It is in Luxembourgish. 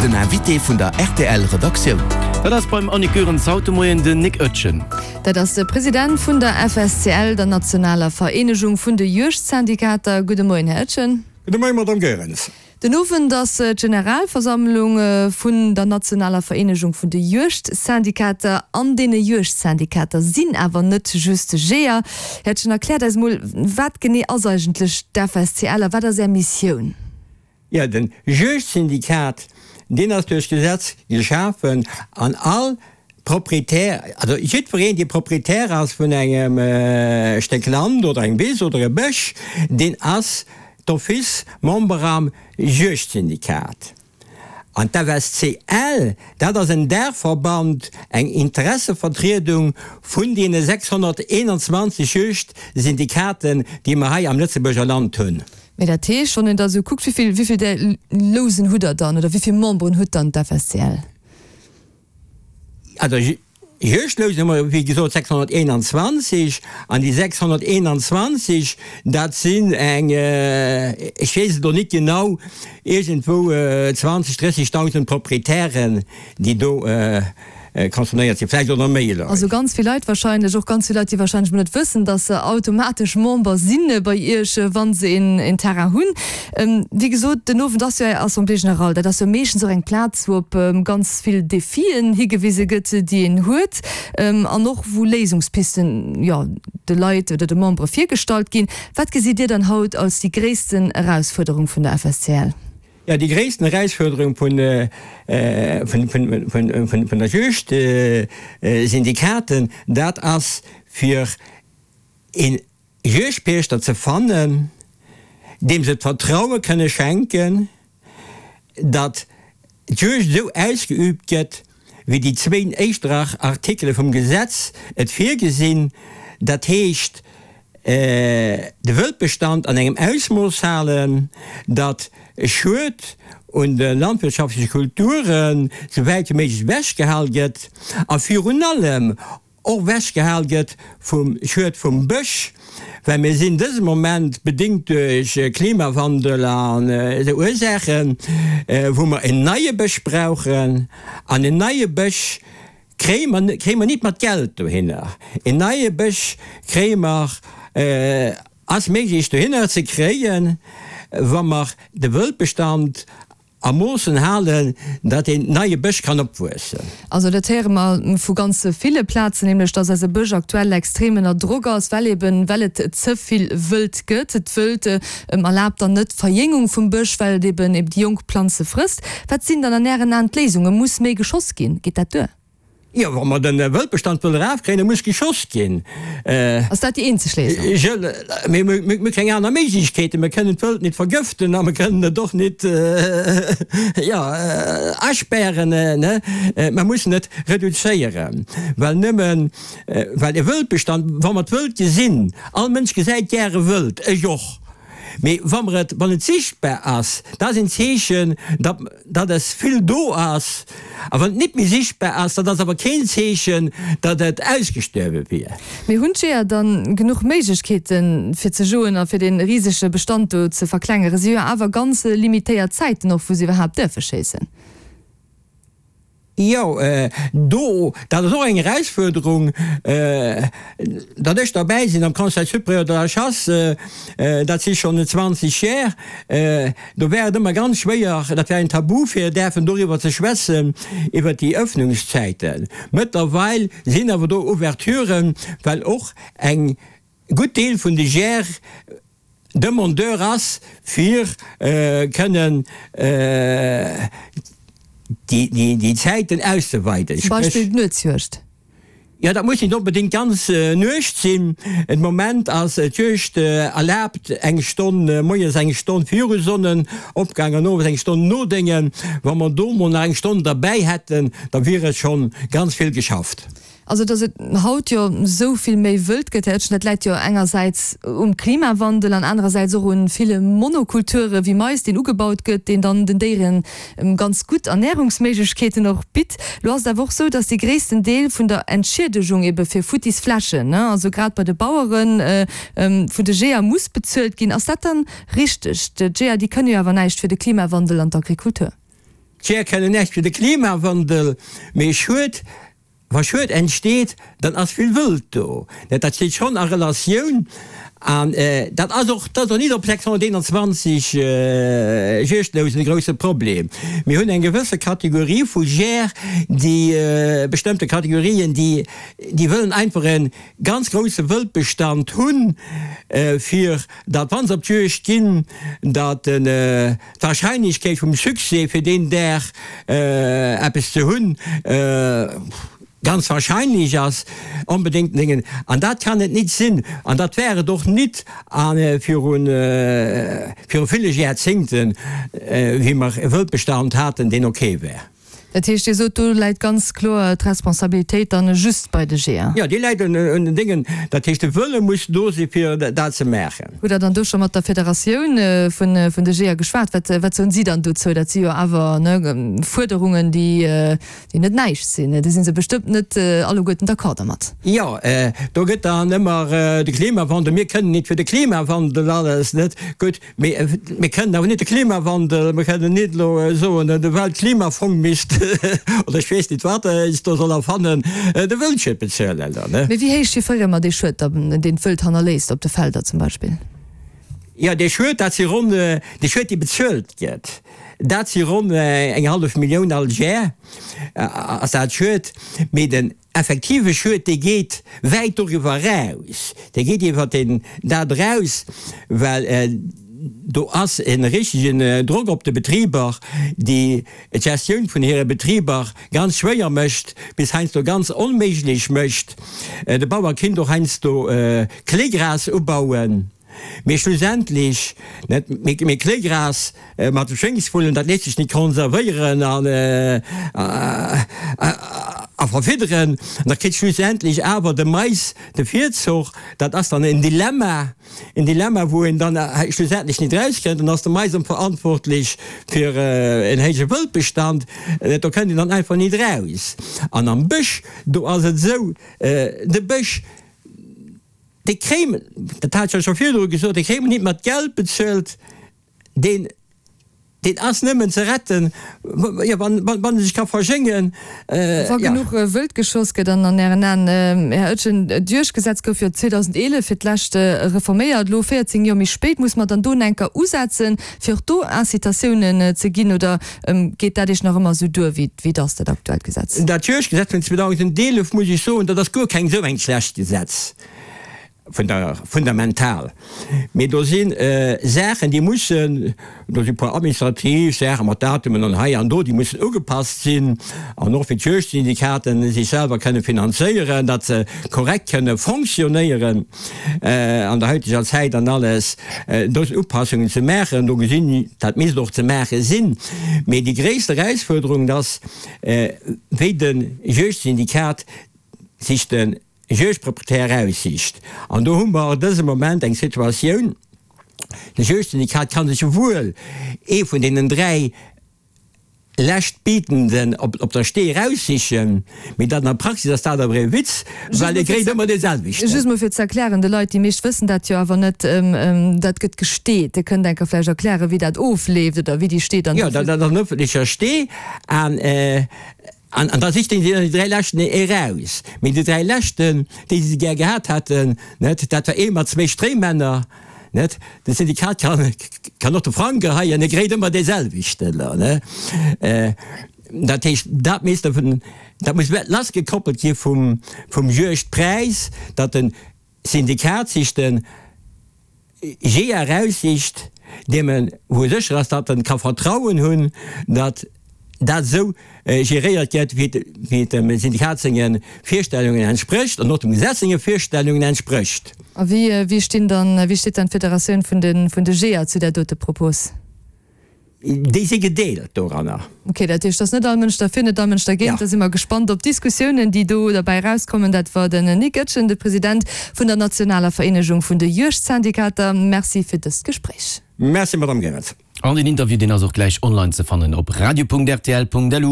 Den Invité vun der rtl Redaktioun. Dat ass beim Annick Goerens haut de Moien den Nic Oetjen. Dat ass de President vun der FSCL, der nationaler Vereenegung vun de Juegdsyndikater. Gudde Moien, Här Oetjen. Gudde Moien, Madamm Goerens. Den Owend ass d'Generalversammlung vun der nationaler Vereenegung vun de Juegdsyndikater. An deene Juegdsyndikater sinn awer net just Jeeër. Här Oetjen, erkläert eis mol, wat genee ass eigentlech d'FSCL a wat ass Är Missioun? Jo, den Juegdsyndikat, deen ass duerch Gesetz geschafen an all Proprietär, also jiddwereen, dee Proprietär ass vun engem Stéck Land oder eng Wiss oder e Bësch, deen ass d'office Member am Juegdsyndikat. An d'FSCL, dat ass en Daachverband, eng Interessevertriedung vun deene 621 Juegdsyndikaten, déi mer hei am Lëtzebuerger Land hunn. Mee dat heescht, wann een da sou kuckt, wéi vill, wéi vill där Lousen hutt Der dann oder wéi vill Memberen hutt dann d'FSCL? Also Juegdlousen hu mer, wéi gesot, 621. An déi 621, dat sinn eng, ech weess et elo net genau, iergendwou 20, 30.000 Proprietären, déi do concernéiert sinn, vläicht och nach méi Leit. Also ganz vill Leit wahrscheinlech, och ganz vill Leit, déi wahrscheinlech mol net wëssen, dass se automatesch Member si bei Iech, wa se een Terrain hunn. Wéi gesot, den Owend ass jo Är Assemblée générale. Dat ass jo meeschtens och eng Plaz, wou op ganz vill Defien higewise gëtt, déi een huet, an och wou Léisungspisten, jo, de Leit oder de Membere virgestallt ginn. Wat gesitt Dir dann haut als déi gréissten Erausfuerderung vun der FSCL? Jo, déi gréissten Erausfuerderung vun der Juegdsyndikaten, dat ass fir ee Juegdpiechter ze fannen, deem se d'Vertraue kënne schenken, datt d'Juegd esou ausgeüübt gëtt, wéi déi zwéin éischt Artikele vum Gesetz et virgesinn, dat heescht de Wëldbestand an engem Ausmooss halen, datt Schued un de landwirtschaftleche Kulturen sou wäit wéi méiglech ewechgehal gëtt a virun allem och ewechgehal gëtt vum Schued vum Bësch, well mir sinn dëse Moment, bedéngt duerch Klimawandel an esou Ursaachen, wou mer en neie Bësch brauchen an en neie Bësch Kréie mer, kréie mer nit mat Geld dohinner. En neie Bësch kréie mer, ass méiglech dohinner ze kréien, wa mer de Wëldbestand a Moossen halen, datt een neie Bësch kann opwuessen. Also dat héiere mer vu ganz ville Plazen, nämlech datt eise Bësch aktuell extrem ënner Drock ass, well eben, well et ze vill Wëld gëtt. D'Wëld erlaabt dann net d'Verjéngung vum Bësch, well et eben eben déi jonk Planze frësst. Wat sinn dann an Ären Aen d'Léisungen? Muss méi geschoss ginn? Geet dat duer? Jo, wa mer de Wëldbestand wëlle erafkréien, da muss geschoss ginn. Ass dat déi eenzeg Léisung? Mir hu keng aner Méiglechkeeten. Mir kënnen d'Wëld net vergëften a mir kënnen et och net, jo, aspären. Mer mussen et reduzéieren, well nëmmen, well e Wëldbestand, wa mer d'Wëld gesinn, all Mënsch gesäit gäre Wëld, ech och, Mee wa mer et, wann et sichtbar ass, dat ass een Zeechen, datt, datt es vill do ass. A wann et nit méi sichtbar ass, dat ass awer keen Zeechen, datt et ausgestuerwe wier. Mee hunn d'Jeeër dann genuch Méiglechkeeten, fir ze joen a fir dee risege Bestand do ze verklengeren? Si hu jo awer ganz limitéiert Zäiten och, wou se iwwerhaapt däerfe schéissen. Jo, do, dat ass och eng Erausfuerderung, datt ech derbäi sinn am Conseil supérieur de la chasse, dat si schonn 20 Jär, do war et ëmmer ganz schwéier, dat war en Tabu fir däerfen doriwwer ze schwätzen, iwwert déi Öffnungszäiten. Mëttlerweil sinn awer do Ouverturen, well och eng gutt Deel vun de Jäer Demandeur ass, fir kënnen déi Zäiten auszeweiden. Zum Beispill d'Nuetsjuegd. Jo, dat muss net onbedéngt d'ganz Nuecht sinn. De Moment ass d'Juegd erlaabt eng Stonn moies, eng Stonn viru Sonnenopgang an owes eng Stonn no déngen. Wa mer do mol nach eng Stonn derbäi hätten, da wier et schonn ganz vill geschafft. Also, datt et haut jo esou vill méi wëld gëtt, Här Oetjen, dat läit jo engersäits um Klimawandel an anerersäits och un ville Monokulture wéi Mais, deen ugebaut gëtt, deen dann den Déiere ganz gutt Ernärungsméiglechkeeten och bitt. Lo ass et awer och esou, datt dee gréissten Deel vun der Entschiedegung ebe fir futtis Flächen, also grad bei de Baueren, vun de Jeeër muss bezuelt ginn. Ass dat dann richteg? D'Jeeër, déi kënne jo awer näischt fir de Klimawandel an d'Agrikultur. D'Jeeër kënnen näischt fir de Klimawandel, mee Schued, wa Schued entsteet, dann ass vill Wëld do. Dat steet schonn a Relatioun an dat ass och, dat ass och nit op 621 Juegdlousen e grousse Problem. Mir hunn eng gewësse Kategorie vu Jeeër, déi bestëmmte Kategorien, déi, déi wëllen einfach e ganz grousse Wëldbestand hunn, fir datt wa se op d'Juegd ginn, datt d'Wahrscheinlechkeet vum Succès fir deen Dag eppes ze hunn ganz wahrscheinlech ass, onbedéngt néngen. An dat kann et nit sinn, an dat war et och nit viru viru ville Järzéngten, wéi mer e Wëldbestand haten, deen ok war. Dat heescht, Dir sot, do läit ganz kloer d'Responsabilitéit dann just bei de Jeeër? Jo, déi läit un den Déngen. Dat heescht, de Wëlle muss do si fir dat ze maachen. Hutt Der dann do scho mat der Federatioun vun de Jeeër geschwat? Wat soen si dann dozou? Dat si jo awer Fuerderungen, déi net näischt sinn. Do si se bestëmmt net alleguerten d'accord dermat. Jo, do gëtt dann ëmmer de Klimawandel, mir kënnen nit fir de Klimawandel alles, net? Gutt, Mee mir kënnen awer net de Klimawandel, mir kënnen net elo soen, de Weltklimafong misst, oder ech weess net wat eis do soll erfannen, de Wëldschued bezuelen. Mee wéi héich chiffréiere mer dee Schued dann, deen d'Wëld hannerléisst op de Felder zum Beispill? Jo, dee Schued, dat si ronn, dee Schued dee bezuelt gëtt, dat si ronn eng hallef Millioun all Jar ass dat Schued. Mee den Effektive Schued, dee geet wäit doriwwer eraus, dee geet iwwer deen dat eraus, well do ass e richtegen Drock op de Betriber, déi d'Gestioun vun hire Betriber ganz schwéier mécht, bis heiansdo ganz onméiglech mécht. De Bauer kinnt och heiansdo Kléigras ubauen. Mee schlussendlech, net, mee Kléigras mat de Schéngsvullen, dat léisst sech nit konservéieren an a verfidderen. An da kritt schlussendlech awer de Mais de Virzuch. Dat ass dann en Dilemma, en Dilemma, wou een dann schlussendlech nit erauskënnt. Dann ass de Mais erëm verantwortlech fir en héije Wëldbestand. Do kënnt een dann einfach nit eraus. An am Bësch, do ass et esou, de Bësch, Dee kréien, dat hat ech jo scho virdru gesot, dee kréie mer nit mat Geld bezuelt, deen, deen ass nëmmen ze retten, jo, wann, wann e sech ka verjéngen. Wa genuch Wëld geschoss gëtt. An an Ären Aen, Här Oetjen, d'Juegdgesetz gouf jo 2011 fir d'lescht reforméiert. Elo, 14 Joer méi spéit, muss mer dann do enker usetzen, fir och do Incitatiounen ze ginn, oder geet dat Iech nach ëmmer esou duer, wéi et ass, dat aktuellt Gesetz? Dat Juegdgesetz vun 2011, muss ech soen, dat ass guer keng esou eng schlecht Gesetz, vun der fundamental, mee do si Saachen, déi mussen, do si puer administrativ Saache mat Datumen an hei an do, déi mussen ugepasst sinn, an och fir d'Juegdsyndikaten sech selwer kënne finanzéieren, datt se korrekt kënne fonctionnéieren. an der haiteger Zäit an alles, do sinn Upassungen ze maachen, do gesinn, dat misst och ze maache sinn. Mee déi gréisst Erausfuerderung ass, wéi de Juegdsyndikat sech de Juegdproprietär eraussicht. An do hu mer dëse Moment eng Situatioun, de Juegdsyndikat ka sech wuel ee vun deenen 3, Leschtbietenden op der Stee eraussichen, mee dat an der Praxis ass dat awer ee Witz, well e kréit ëmmer dee selwechten. Just mol fir ze erklären de Leit, déi meescht wëssen dat jo awer net, dat gëtt gesteet. Dir kënnt enker vläicht erklären, wéi dat ofleeft oder wéi déi Stee dann. Jo, dat ass en ëffentlecher Stee an an da sicht een déi 3 leschten eraus. Mee déi 3 leschten, déi se gär gehat hätten, net, dat war ee mat zwéi Stréimänner, Net? De Syndikat kann, kann och de Frang geheien, e kréit ëmmer dee selwechten elo, ne? Dat heescht, dat misst dervun, dat muss lassgekoppelt gi vum, vum Juegdpräis, datt de Syndikat sech de Jeeër eraussicht, deem en, wou e sécher ass, datt en ka Vertrauen hunn, datt dat esou geréiert gëtt, wéi et dem Syndikat senge Virstellungen entsprécht an och dem Gesetz senge Virstellungen entsprécht. A wéi stinn dann, wéi steet dann d'Federatioun vun de vun de Jeeër zu där dote Propos? Déi si gedeelt doranner. Ok, dat heescht, et ass net all Mënsch derfir, net all Mënsch dergéint. Da si mer gespannt op d'Diskussiounen, déi do derbäi erauskommen. Dat war den Nic Goetgen, de President vun der nationaler Vereenegung vun de Juegdsyndikater. Merci fir dëst Gespréich. Merci, Madamm Goerens. An den Interview deen ass och gläich online ze fannen op radio.rtl.lu.